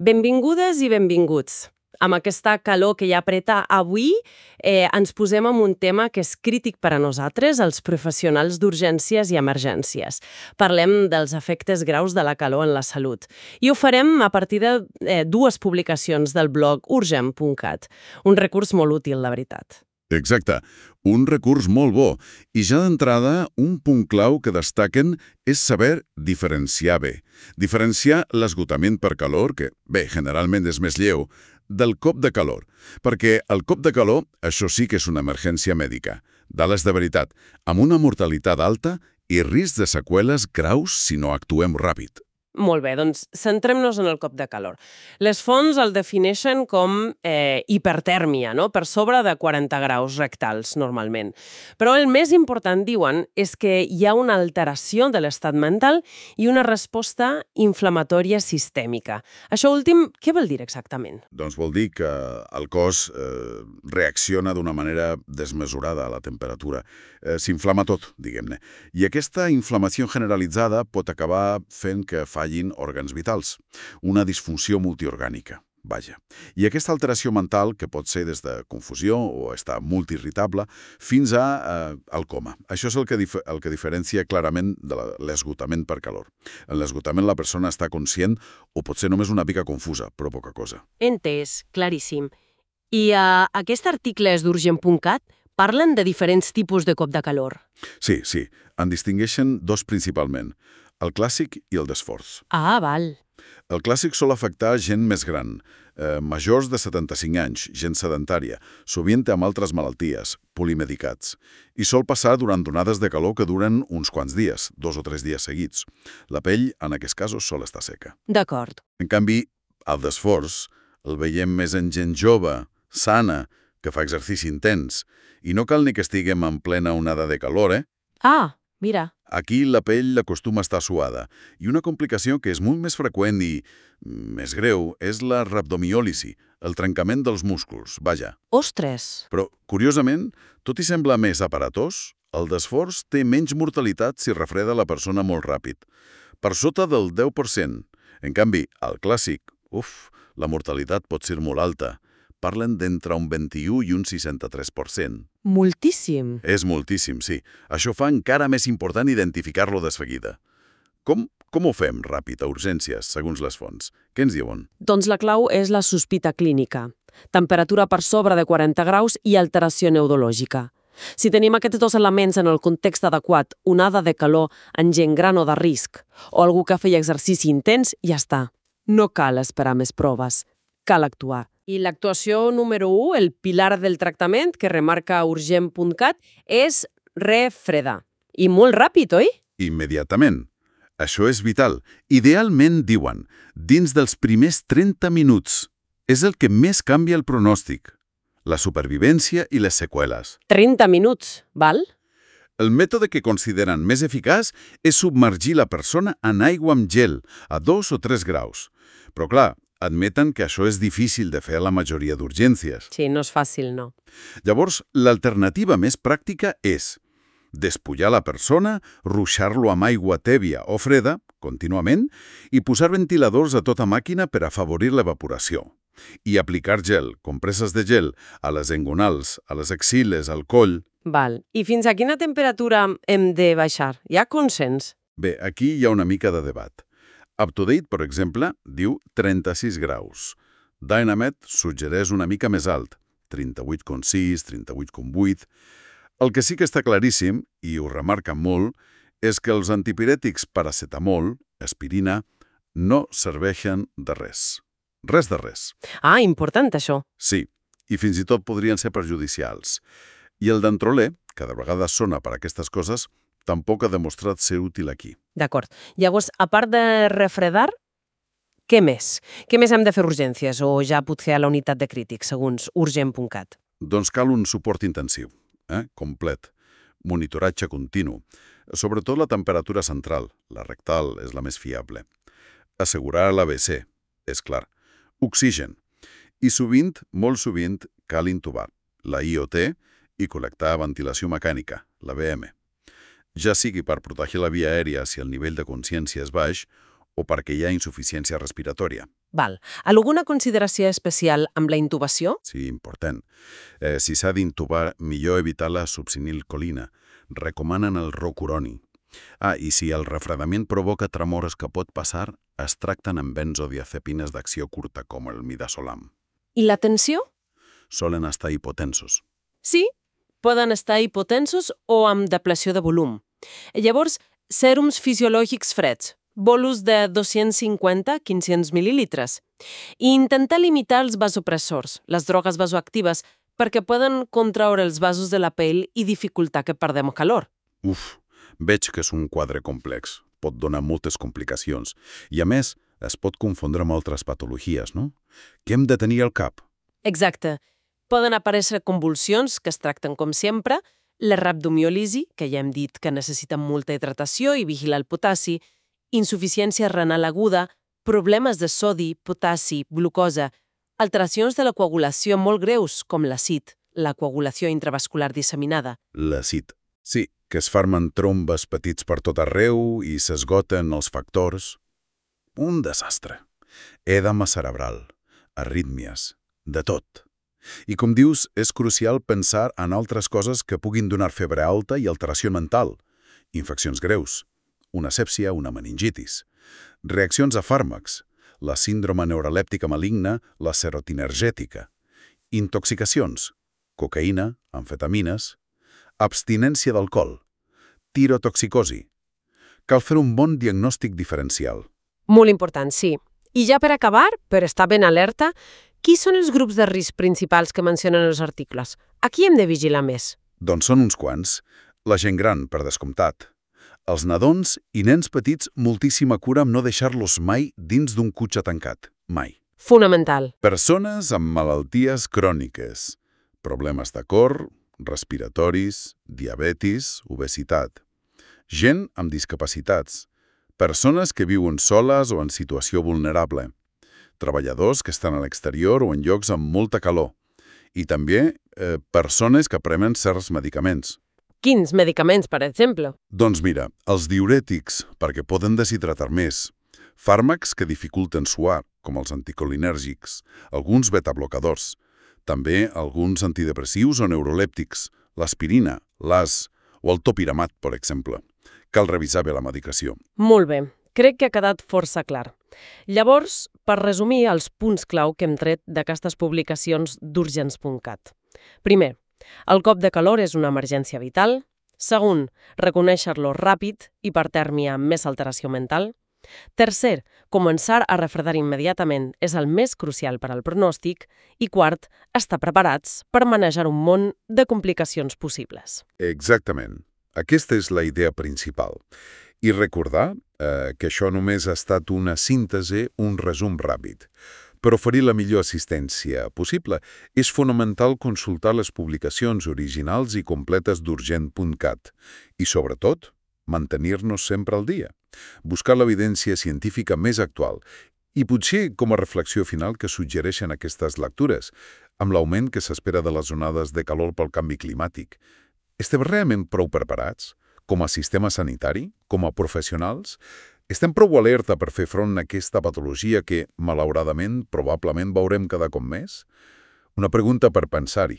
Benvingudes i benvinguts. Amb aquesta calor que ja apreta avui, ens posem en un tema que és crític per a nosaltres, els professionals d'urgències i emergències. Parlem dels efectes graus de la calor en la salut. I ho farem a partir de dues publicacions del blog urgent.cat. Un recurs molt útil, la veritat. Exacte, un recurs molt bo. I ja d'entrada, un punt clau que destaquen és saber diferenciar bé. Diferenciar l'esgotament per calor, que, bé, generalment és més lleu, del cop de calor. Perquè el cop de calor, això sí que és una emergència mèdica. Dades de veritat, amb una mortalitat alta i risc de seqüeles graus si no actuem ràpid. Molt bé, doncs centrem-nos en el cop de calor. Les fonts el defineixen com hipertèrmia, no? Per sobre de 40 graus rectals, normalment. Però el més important, diuen, és que hi ha una alteració de l'estat mental i una resposta inflamatòria sistèmica. Això últim, què vol dir exactament? Doncs vol dir que el cos reacciona d'una manera desmesurada a la temperatura. S'inflama tot, diguem-ne. I aquesta inflamació generalitzada pot acabar fent que fallin òrgans vitals. Una disfunció multiorgànica, vaja. I aquesta alteració mental, que pot ser des de confusió o estar multiirritable, fins al coma. Això és el que diferencia clarament de l'esgotament per calor. En l'esgotament la persona està conscient o potser només una mica confusa, però poca cosa. Entès, claríssim. I aquest article és d'urgent.cat? Parlen de diferents tipus de cop de calor. Sí. En distingeixen dos principalment, el clàssic i el d'esforç. Ah, val. El clàssic sol afectar gent més gran, majors de 75 anys, gent sedentària, sovint amb altres malalties, polimedicats, i sol passar durant onades de calor que duren uns quants dies, 2 o 3 dies seguits. La pell, en aquests casos, sol estar seca. D'acord. En canvi, el d'esforç el veiem més en gent jove, sana, que fa exercici intens, i no cal ni que estiguem en plena onada de calor, Ah, mira. Aquí la pell acostuma a estar suada, i una complicació que és molt més freqüent i més greu és la rhabdomiòlisi, el trencament dels músculs, vaja. Ostres! Però, curiosament, tot i sembla més aparatós, el d'esforç té menys mortalitat si refreda la persona molt ràpid, per sota del 10%. En canvi, al clàssic, la mortalitat pot ser molt alta. Parlen d'entre un 21 i un 63%. Moltíssim. És moltíssim, sí. Això fa encara més important identificar-lo de seguida. Com ho fem ràpid a urgències, segons les fonts? Què ens diuen? Doncs la clau és la sospita clínica. Temperatura per sobre de 40 graus i alteració neurològica. Si tenim aquests dos elements en el context adequat, onada de calor en gent gran o de risc, o algú que feia exercici intens, ja està. No cal esperar més proves. Cal actuar. I l'actuació número 1, el pilar del tractament, que remarca urgent.cat, és refredar. I molt ràpid, oi? Immediatament. Això és vital. Idealment, diuen, dins dels primers 30 minuts. És el que més canvia el pronòstic. La supervivència i les seqüeles. 30 minuts, val? El mètode que consideren més eficaç és submergir la persona en aigua amb gel, a 2 o 3 graus. Però clar, admeten que això és difícil de fer a la majoria d'urgències. Sí, no és fàcil, no. Llavors, l'alternativa més pràctica és despullar la persona, ruixar-lo amb aigua tèbia o freda, contínuament, i posar ventiladors a tota màquina per afavorir l'evaporació. I aplicar gel, compreses de gel, a les engonals, a les axiles, al coll. Val. I fins a quina temperatura hem de baixar? Hi ha consens? Bé, aquí hi ha una mica de debat. UpToDate, per exemple, diu 36 graus. Dynamed suggereix una mica més alt, 38,6, 38,8. El que sí que està claríssim, i ho remarca molt, és que els antipirètics paracetamol, aspirina, no serveixen de res. Res de res. Ah, important això. Sí, i fins i tot podrien ser perjudicials. I el dantrolè, que de vegades sona per aquestes coses, tampoc ha demostrat ser útil aquí. D'acord. Llavors, a part de refredar, què més? Què més hem de fer urgències o ja potser a la unitat de crítics, segons urgent.cat? Doncs cal un suport intensiu, complet, monitoratge continu, sobretot la temperatura central, la rectal és la més fiable. Assegurar l'ABC, és clar. Oxigen. I sovint, molt sovint, cal intubar la IOT i col·lectar ventilació mecànica, la VM. Ja sigui per protegir la via aèria si el nivell de consciència és baix o perquè hi ha insuficiència respiratòria. Val. Alguna consideració especial amb la intubació? Sí, important. Si s'ha d'intubar, millor evitar la subsinilcolina. Recomanen el rocuroni. I si el refredament provoca tremores que pot passar, es tracten amb benzodiazepines d'acció curta, com el midazolam. I la tensió? Solen estar hipotensos. Sí, poden estar hipotensos o amb depleció de volum. Llavors, sèrums fisiològics freds, bolus de 250-500 mil·lilitres. I intentar limitar els vasopressors, les drogues vasoactives, perquè poden contraure els vasos de la pell i dificultar que perdem calor. Veig que és un quadre complex. Pot donar moltes complicacions. I, a més, es pot confondre amb altres patologies, no? Què hem de tenir al cap? Exacte. Poden aparèixer convulsions, que es tracten com sempre, la rhabdomiòlisi, que ja hem dit que necessita molta hidratació i vigilar el potassi, insuficiència renal aguda, problemes de sodi, potassi, glucosa, alteracions de la coagulació molt greus, com l'acid, la coagulació intravascular disseminada. L'acid. Sí, que es formen trombes petits per tot arreu i s'esgoten els factors. Un desastre. Edema cerebral, arrítmies, de tot. I com dius, és crucial pensar en altres coses que puguin donar febre alta i alteració mental. Infeccions greus, una sèpsia, una meningitis. Reaccions a fàrmacs, la síndrome neurolèptica maligna, la serotinergètica. Intoxicacions, cocaïna, amfetamines. Abstinència d'alcohol, tirotoxicosi. Cal fer un bon diagnòstic diferencial. Molt important, sí. I ja per acabar, per estar ben alerta, qui són els grups de risc principals que mencionen els articles? A qui hem de vigilar més? Doncs són uns quants. La gent gran, per descomptat. Els nadons i nens petits, moltíssima cura amb no deixar-los mai dins d'un cotxe tancat. Mai. Fonamental. Persones amb malalties cròniques, problemes de cor, respiratoris, diabetis, obesitat. Gent amb discapacitats. Persones que viuen soles o en situació vulnerable. Treballadors que estan a l'exterior o en llocs amb molta calor. I també persones que prenen certs medicaments. Quins medicaments, per exemple? Doncs mira, els diurètics, perquè poden deshidratar més. Fàrmacs que dificulten suar, com els anticolinèrgics. Alguns betablocadors. També alguns antidepressius o neurolèptics, l'aspirina, l'AS o el topiramat, per exemple. Cal revisar bé la medicació. Molt bé. Crec que ha quedat força clar. Llavors, per resumir els punts clau que hem tret d'aquestes publicacions d'urgents.cat. Primer, el cop de calor és una emergència vital. Segon, reconèixer-lo ràpid, hipertèrmia amb més alteració mental. Tercer, començar a refredar immediatament és el més crucial per al pronòstic. I quart, estar preparats per manejar un munt de complicacions possibles. Exactament. Aquesta és la idea principal. I recordar que això només ha estat una síntesi, un resum ràpid. Per oferir la millor assistència possible, és fonamental consultar les publicacions originals i completes d'urgent.cat i, sobretot, mantenir-nos sempre al dia. Buscar l'evidència científica més actual i potser com a reflexió final que suggereixen aquestes lectures, amb l'augment que s'espera de les onades de calor pel canvi climàtic. Estem realment prou preparats? Com a sistema sanitari? Com a professionals? Estem prou alerta per fer front a aquesta patologia que, malauradament, probablement veurem cada cop més? Una pregunta per pensar-hi.